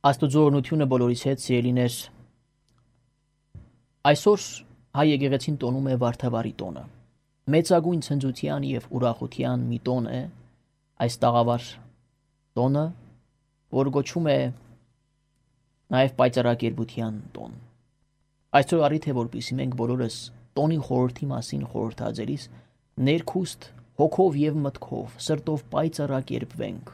Աստուծո օրհնությունը բոլորիս հետ, սիրելիներ։ Այսօր հայ եկեղեցին տոնում է Վարդավառի տոնը։ Մեծագույն ցնծության եւ ուրախության մի տոն է այս տաղավար տոնը, որ կոչվում է նաեւ պայծառակերպության տոն։ Այսօր առիթ է, որպեսզի մենք բոլորս տոնի խորհրդի մասին խորհրդածելիս ներքուստ հոգով եւ մտքով, սրտով պայծառակերպվենք,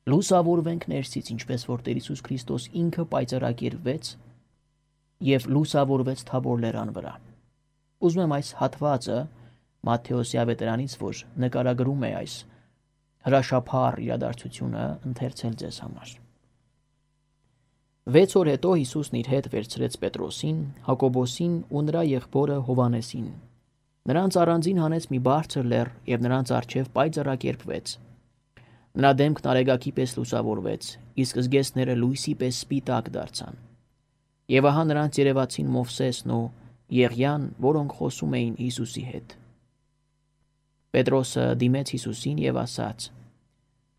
լուսավորվենք ներսից, ինչպես որ Տեր Հիսուս Քրիստոս ինքը պայծառակերպվեց եւ լուսավորվեց Թաբոր լեռան վրա։ Ուզում եմ այս հատվածը Մատթեոսի ավետարանից, որ նկարագրում է այս հրաշափառ իրադարձությունը, ընթերցել ձեզ համար։ 6 օր հետո Հիսուսն իր հետ վերցրեց Պետրոսին, Հակոբոսին ու նրա եղբորը Հովանեսին։ Նրանց առանձին հանեց մի բարձր լեռ եւ նրանց առջեւ պայծառակերպվեց։ Նրա դեմքն արեգակի պես լուսավորվեց, իսկ զգեստները լույսի պես սպիտակ դարձան։ Եվ ահա նրանց երևացին Մովսեսն ու Եղիան, որոնք խոսում էին Հիսուսի հետ։ Պետրոսը դիմեց Հիսուսին եւ ասաց.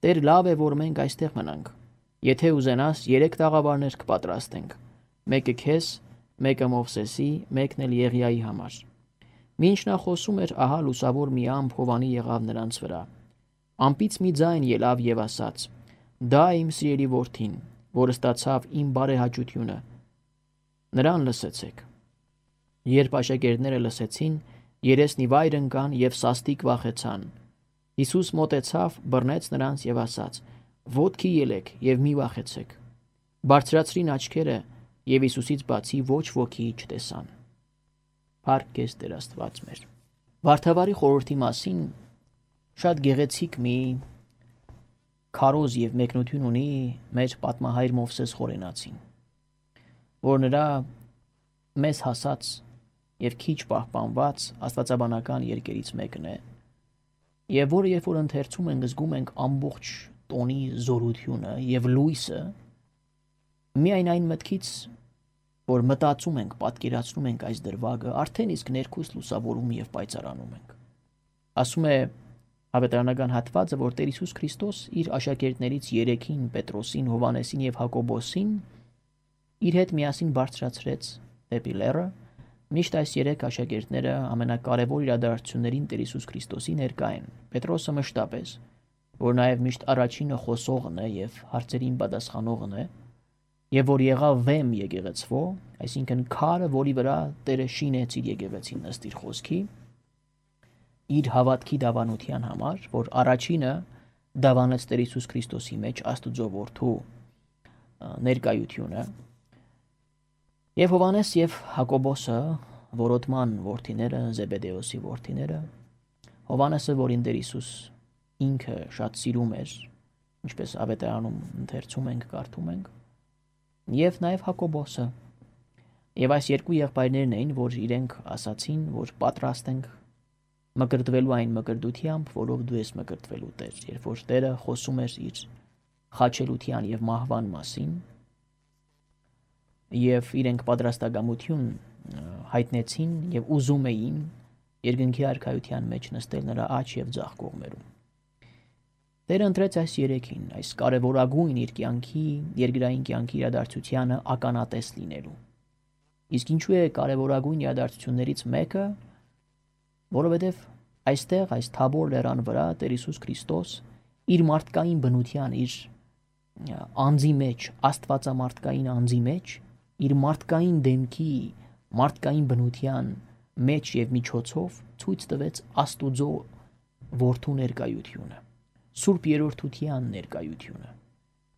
«Տեր, լավ է, որ մենք այստեղ մնանք։ Եթե ուզենաս, 3 տաղավարներ կպատրաստենք. մեկը քեզ, մեկը Մովսեսի, մեկն էլ Եղիայի համար»։ Մինչ նա խոսում էր, ահա լուսավոր մի ամփ Հովանի եղավ նրանց վրա։ Ամպից մի ձայն ելավ եւ ասաց. «Դա իմ սիրելի որդին, որ ստացավ իմ բարեհաճությունը, նրան լսեցեք»։ Երբ աշակերտները լսեցին, երեսնի վայր ընկան եւ սաստիկ վախեցան։ Հիսուս մոտեցավ, բռնեց նրանց եւ ասաց. «Ոտքի ելեք եւ մի վախեցեք»։ Բարձրացրին աչքերը եւ Հիսուսից բացի ոչ ոքի չտեսան։ Փառք քեզ Տեր Աստված մեր։ Վարդավառի խորհրդի մասին շատ գեղեցիկ մի քարոզ եւ մեկնություն ունի մեր պատմահայր Մովսես Խորենացին, որ նրա մեզ հասած եւ քիչ պահպանված աստվածաբանական երկերից մեկն է, եւ որը երբ որ ընթերցում ենք, զգում ենք ամբողջ տոնի զորությունը եւ լույսը միայն այն մտքից, որ մտածում ենք, պատկերացնում ենք այս դրվագը, արդեն իսկ ներքուստ լուսավորում եւ պայծառանում ենք։ Ասում է ավետարանական հատվածը, որ Տեր Հիսուս Քրիստոս իր աշակերտներից 3-ին՝ Պետրոսին, Հովանեսին եւ Հակոբոսին, իր հետ միասին բարձրացրեց դեպի լեռը, միշտ այս 3 աշակերտները ամենակարևոր իրադարձություններին Տեր Հիսուս Քրիստոսի ներկա են։ Պետրոսը մշտապես, որ նաեւ միշտ առաջինը խոսողն է եւ հարցերին պատասխանողն է, եւ որ եղավ վեմ եկեղեցվո, այսինքն քարը, որի վրա Տերը շինեց իր եկեղեցին ըստ իր խոսքի, իր հավատքի դավանության համար, որ առաջինը դավանեց Տեր Հիսուս Քրիստոսի մեջ Աստուծո որդու ներկայությունը, եւ Հովանես եւ Հակոբոսը, որոտման որդիները, Զեբեդեոսի որդիները, Հովանեսը, որին Տեր Հիսուս ինքը շատ սիրում էր, ինչպես ավետարանում ընթերցում ենք, կարդում ենք, եւ նաեւ Հակոբոսը։ Եվ այս 2 եղբայրներն էին, որ իրենք ասացին, որ պատրաստ ենք մկրտվելու այն մկրտությամբ, որով դու ես մկրտվելու Տեր, երբ որ Տերը խոսում էր իր խաչելության եւ մահվան մասին, եւ իրենք պատրաստակամություն հայտնեցին եւ ուզում էին երկնքի արքայության մեջ նստել նրա աջ եւ ձախ կողմերում։ Տերը ընտրեց այս 3-ին, այս կարևորագույն իր կյանքի, երկրային կյանքի իրադարձությանը ականատես լինելու։ Իսկ ինչու է կարևորագույն իրադարձություններից մեկը, որովհետև այստեղ, այս Թաբոր լեռան վրա Տեր Հիսուս Քրիստոս իր մարդկային բնության, իր անձի մեջ, աստվածամարտկային անձի մեջ, իր մարդկային դեմքի, մարդկային բնության մեջ եւ միջոցով ցույց տվեց Աստուծո որդու ներկայությունը, Սուրբ Երրորդության ներկայությունը,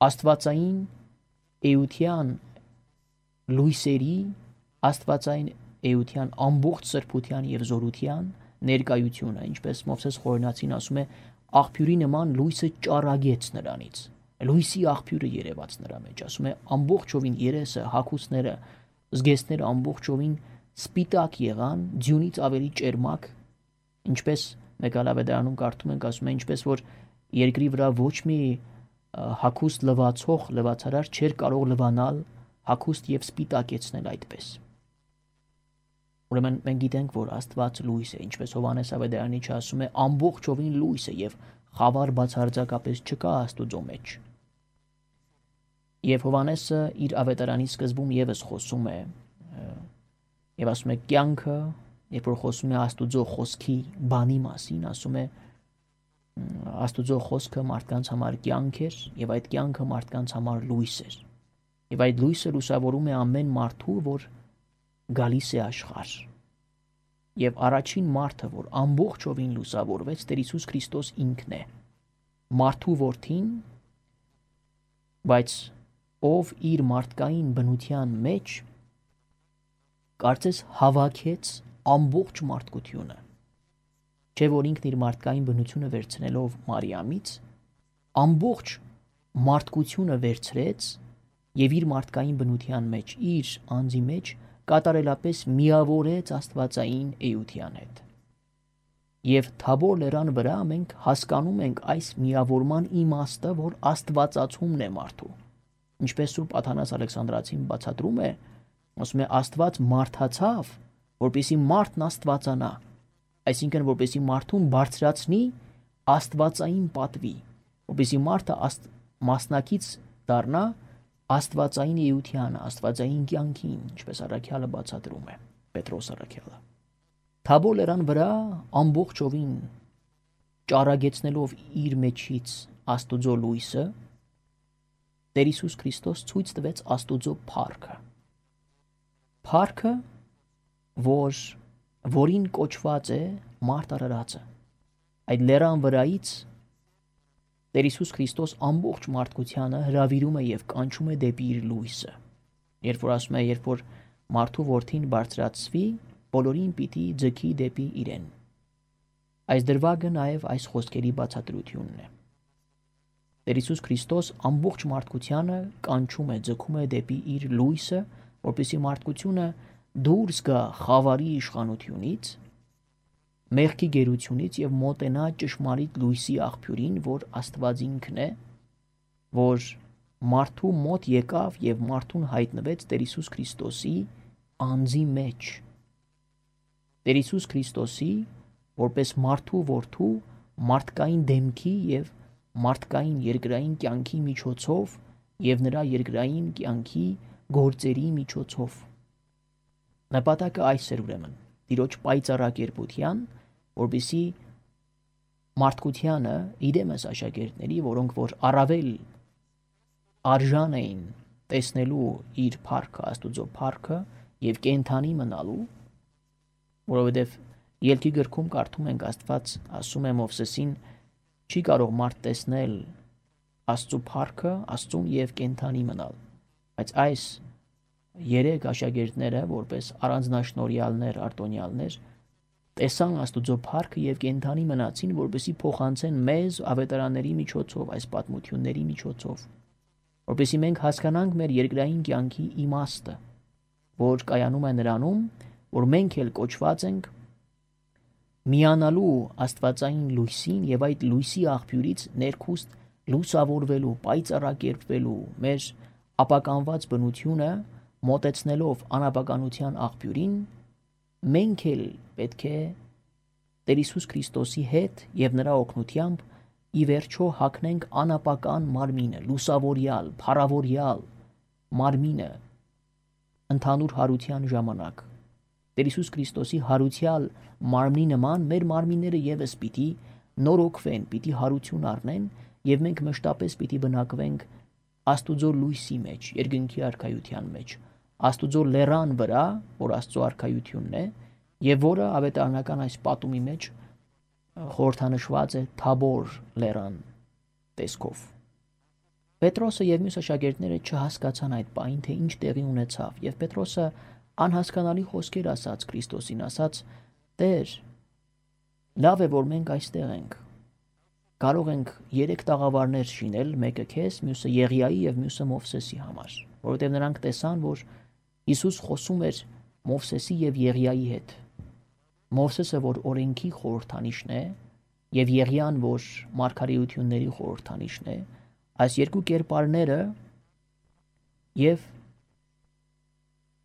աստվածային էության լույսերի, աստվածային էության ամբողջ սրբության եւ զորության ներկայությունը, ինչպես Մովսես Խորենացին ասում է, աղբյուրի նման լույսը ճառագեց նրանից, լույսի աղբյուրը երևաց նրա մեջ, ասում է ամբողջովին երեսը, հագուստները, զգեստները ամբողջովին սպիտակ եղան, ձյունից ավելի ճերմակ, ինչպես մեկ այլ ավետարանում կարդում ենք, ասում է, ինչպես որ երկրի վրա ոչ մի հագուստ լվացող լվացարար չէր կարող լվանալ հագուստ եւ սպիտակեցնել այդպես։ Ուրեմն մենք գիտենք, որ Աստված լույս է, ինչպես Հովանես ավետարանիչը ասում է, ամբողջովին լույս է եւ խավար բացարձակապես չկա Աստուծո մեջ։ Եվ Հովանեսը իր ավետարանի սկզբում եւս խոսում է եւ ասում է կյանքը, երբ որ խոսում է Աստուծո խոսքի բանի մասին, ասում է Աստուծո խոսքը մարդկանց համար կյանք էր եւ այդ կյանքը մարդկանց համար լույս էր։ Եվ այդ լույսը լուսավորում է ամեն մարդու, որ գալիս է աշխարհ։ Եվ առաջին մարդը, որ ամբողջովին լուսավորվեց, Տեր Հիսուս Քրիստոս ինքն է։ Մարդու որդին, բայց ով իր մարդկային բնության մեջ կարծես հավաքեց ամբողջ մարդկությունը։ Չէ որ ինքն իր մարդկային բնությունը վերցնելով Մարիամից, ամբողջ մարդկությունը վերցրեց եւ իր մարդկային բնության մեջ, իր անձի մեջ կատարելապես միավորեց Աստվածային էության հետ։ Եվ Թաբոր լեռան վրա մենք հասկանում ենք այս միավորման իմաստը, որ աստվածացումն է մարդու։ Ինչպես Սուրբ Աթանաս Ալեքսանդրացին բացատրում է, ասում է Աստված մարդացավ, որպեսզի մարդն աստվածանա, այսինքն որպեսզի մարդուն բարձրացնի աստվածային պատվի, որպեսզի մարդը մասնակից դառնա աստվածային էությանը, աստվածային կյանքին, ինչպես առաքյալը բացատրում է, Պետրոս առաքյալը։ Թաբոր լեռան վրա ամբողջովին ճառագեցնելով իր մեջից Աստուծո լույսը, Տեր Հիսուս Քրիստոս ցույց տվեց Աստուծո փառքը։ Փառքը, որին կոչված է մարդ արարածը։ Այդ լեռան վրայից Տեր Հիսուս Քրիստոս ամբողջ մարդկությանը հրավիրում է եւ կանչում է դեպի իր լույսը։ Երբ որ ասում է, երբ որ մարդու որդին բարձրացվի, բոլորին պիտի ձգի դեպի իրեն։ Այս դրվագը նաեւ այս խոսքերի բացատրությունն է։ Տեր Հիսուս Քրիստոս ամբողջ մարդկությանը կանչում է, ձգում է դեպի իր լույսը, որպեսզի մարդկությունը դուրս գա խավարի իշխանությունից, մեղքի գերությունից եւ մոտենա ճշմարիտ լույսի աղբյուրին, որ Աստված ինքն է, որ մարդու մոտ եկավ եւ մարդուն հայտնվեց Տեր Հիսուս Քրիստոսի անձի մեջ։ Տեր Հիսուս Քրիստոսի որպես մարդու որդու մարդկային դեմքի եւ մարդկային երկրային կյանքի միջոցով եւ նրա երկրային կյանքի գործերի միջոցով։ Նպատակը այս էր ուրեմն Տիրոջ պայծառակերպության, որպեսզի մարդկությանը իրեմս աշակերտների, որոնք որ առավել արժան էին տեսնելու իր փառքը, Աստուծո փառքը եւ կենթանի մնալու, որովհետեւ Ելքի գրքում կարդում ենք Աստված ասում է Մովսեսին, չի կարող մարդ տեսնել Աստծո փառքը, Աստծուն եւ կենթանի մնալ։ Բայց այս երեք աշակերտները, որպես առանձնաշնորհյալներ, արտոնյալներ, տեսան Աստուծո փառքը եւ կենթանի մնացին, որպեսզի փոխանցեն մեզ ավետարանների միջոցով, այս պատմությունների միջոցով, որպեսզի մենք հասկանանք մեր երկրային կյանքի իմաստը, որ կայանում է նրանում, որ մենք էլ կոչված ենք միանալու Աստվածային լույսին եւ այդ լույսի աղբյուրից ներքուստ լուսավորվելու, պայծառակերպվելու մեր ապականված բնությունը մոտեցնելով անապականության աղբյուրին, մենք էլ պետք է Տեր Հիսուս Քրիստոսի հետ եւ նրա օգնությամբ ի վերջո հագնենք անապական մարմինը, լուսավորյալ, փառավորյալ մարմինը ընդհանուր հարության ժամանակ։ Տեր Հիսուս Քրիստոսի հարության մարմնի նման մեր մարմինները եւս պիտի նորոգվեն, պիտի հարություն առնեն եւ մենք մշտապես պիտի բնակվենք Աստուծո լույսի մեջ, երկնքի արքայության մեջ, Աստուծո լեռան վրա, որ Աստծո արքայությունն է եւ որը ավետարանական այս պատումի մեջ խորհրդանշված է Թաբոր լեռան տեսքով։ Պետրոսը եւ մյուս աշակերտները չհասկացան այդ պահին, թե ինչ տեղի ունեցավ, եւ Պետրոսը անհասկանալի խոսքեր ասաց Քրիստոսին, ասաց. Տեր, լավ է, որ մենք այստեղ ենք։ Կարող ենք 3 տաղավարներ շինել, մեկը քեզ, մյուսը Եղիայի եւ մյուսը Մովսեսի համար, որովհետեւ նրանք տեսան, որ Հիսուս խոսում էր Մովսեսի եւ Եղիայի հետ։ Մովսեսը, որ օրենքի խորհրդանիշն է, եւ Եղիան, որ մարգարեությունների խորհրդանիշն է, այս երկու կերպարները եւ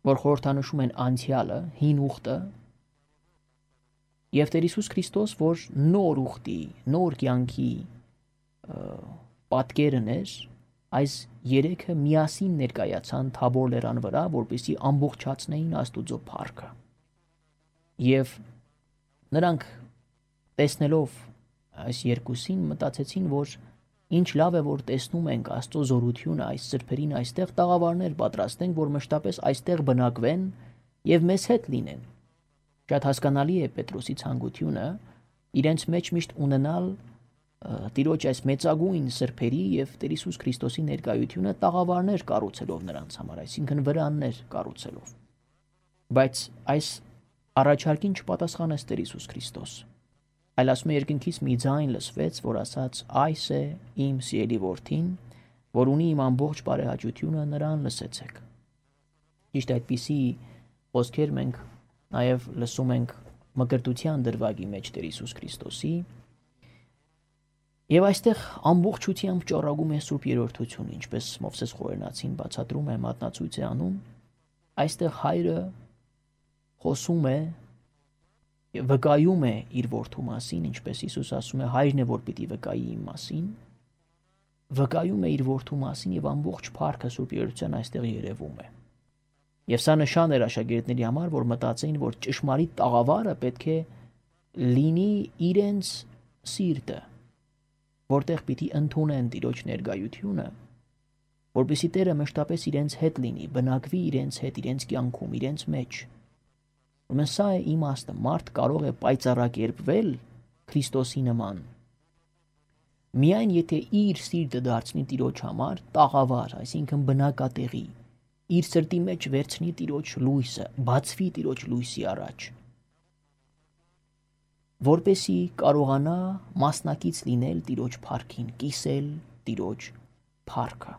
որ խորհրդանշում են անցյալը, հին ուխտը, եւ Տեր Հիսուս Քրիստոս, որ նոր ուխտի, նոր կյանքի պատկերն էր, այս երեքը միասին ներկայացան Թաբոր լեռան վրա, որպեսզի ամբողջացնեին Աստուծո փառքը։ Եվ նրանք տեսնելով այս երկուսին մտածեցին, որ ինչ լավ է, որ տեսնում ենք Աստծո զորությունը այս սրբերին այստեղ, տաղավարներ պատրաստենք, որ մշտապես այստեղ բնակվեն եւ մեզ հետ լինեն։ Շատ հասկանալի է Պետրոսի ցանկությունը իրենց մեջ միշտ ունենալ Տիրոջ այս մեծագույն սրբերի եւ Տեր Հիսուս Քրիստոսի ներկայությունը տաղավարներ կառուցելով նրանց համար, այսինքն վրաններ կառուցելով։ Բայց այս առաջարկին չպատասխանեց Տեր Հիսուս Քրիստոս։ Այլ ասում է երկնքից մի ձայն լսվեց, որ ասաց. «Այս է իմ սիրելի որդին, որ ունի իմ ամբողջ բարեհաճությունը, նրան լսեցեք»։ Ճիշտ այդպիսի խոսքեր մենք նաև լսում ենք Մկրտության դրվագի մեջ Տեր Հիսուս Քրիստոսի։ Եվ այստեղ ամբողջությամբ ճառագում է Սուրբ Երրորդությունը, ինչպես Մովսես Խորենացին բացատրում է, մատնացույց է անում։ Այստեղ հայրը խոսում է եւ վկայում է իր որդու մասին, ինչպես Հիսուս ասում է, հայրն է, որ պիտի վկայի իմ մասին, վկայում է իր որդու մասին եւ ամբողջ փառքը Սուրբ Երրորդության այստեղ երևում է։ Եվ սա նշան էր աշակերտների համար, որ մտածեին, որ ճշմարիտ տաղավարը պետք է լինի իրենց սիրտը, որտեղ պիտի ընդունեն Տիրոջ ներկայությունը, որպեսզի Տերը մշտապես իրենց հետ լինի, բնակվի իրենց հետ, իրենց կյանքում, իրենց մեջ։ Ուրեմն սա է իմաստը, մարդ կարող է պայծառակերպվել Քրիստոսի նման միայն եթե իր սիրտը դարձնի Տիրոջ համար տաղավար, այսինքն բնակատեղի, իր սրտի մեջ վերցնի Տիրոջ լույսը, բացվի Տիրոջ լույսի առաջ, որպեսզի կարողանա մասնակից լինել Տիրոջ փառքին, կիսել Տիրոջ փառքը։